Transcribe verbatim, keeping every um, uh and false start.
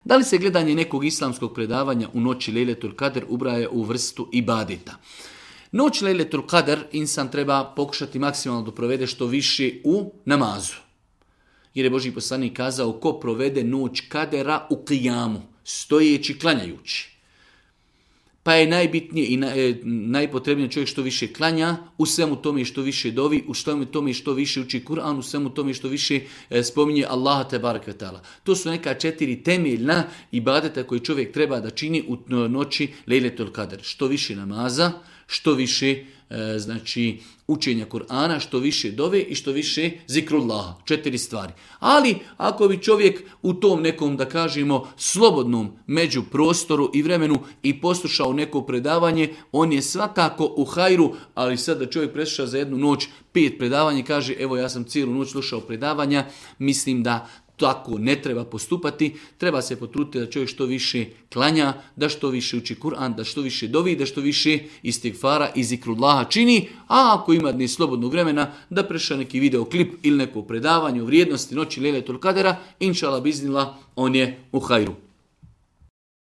Da li se gledanje nekog islamskog predavanja u noći Lejletul Kadr ubraja u vrstu ibadeta? Noć Lejletul Kadr insan treba pokušati maksimalno da provede što više u namazu. Jer je Božji poslanik kazao ko provede noć kadera u kijamu, stojeći, klanjajući. Pa je najbitnije i najpotrebnije čovjek što više klanja, u svemu tome što više dovi, u svemu tome što više uči Kur'an, u svemu tome što više spominje Allaha tebarek ve taala. To su neka četiri temeljna ibadeta koje čovjek treba da čini u noći Lejletul Kadr. Što više namaza, što više znači učenja Kur'ana, što više dove i što više zikrullaha. Četiri stvari. Ali ako bi čovjek u tom nekom, da kažemo, slobodnom među prostoru i vremenu i poslušao neko predavanje, on je svakako u hajru, ali sad da čovjek presluša za jednu noć pet predavanja i kaže evo ja sam cijelu noć slušao predavanja, mislim da tako ne treba postupati, treba se potruditi da čovjek što više klanja, da što više uči Kur'an, da što više dovi, da što više istigfara i zikrullaha čini, a ako ima dne slobodnog vremena, da preša neki videoklip ili neko predavanje o vrijednosti noći Lejletul Kadera, inšallah biznillah, on je u hajru.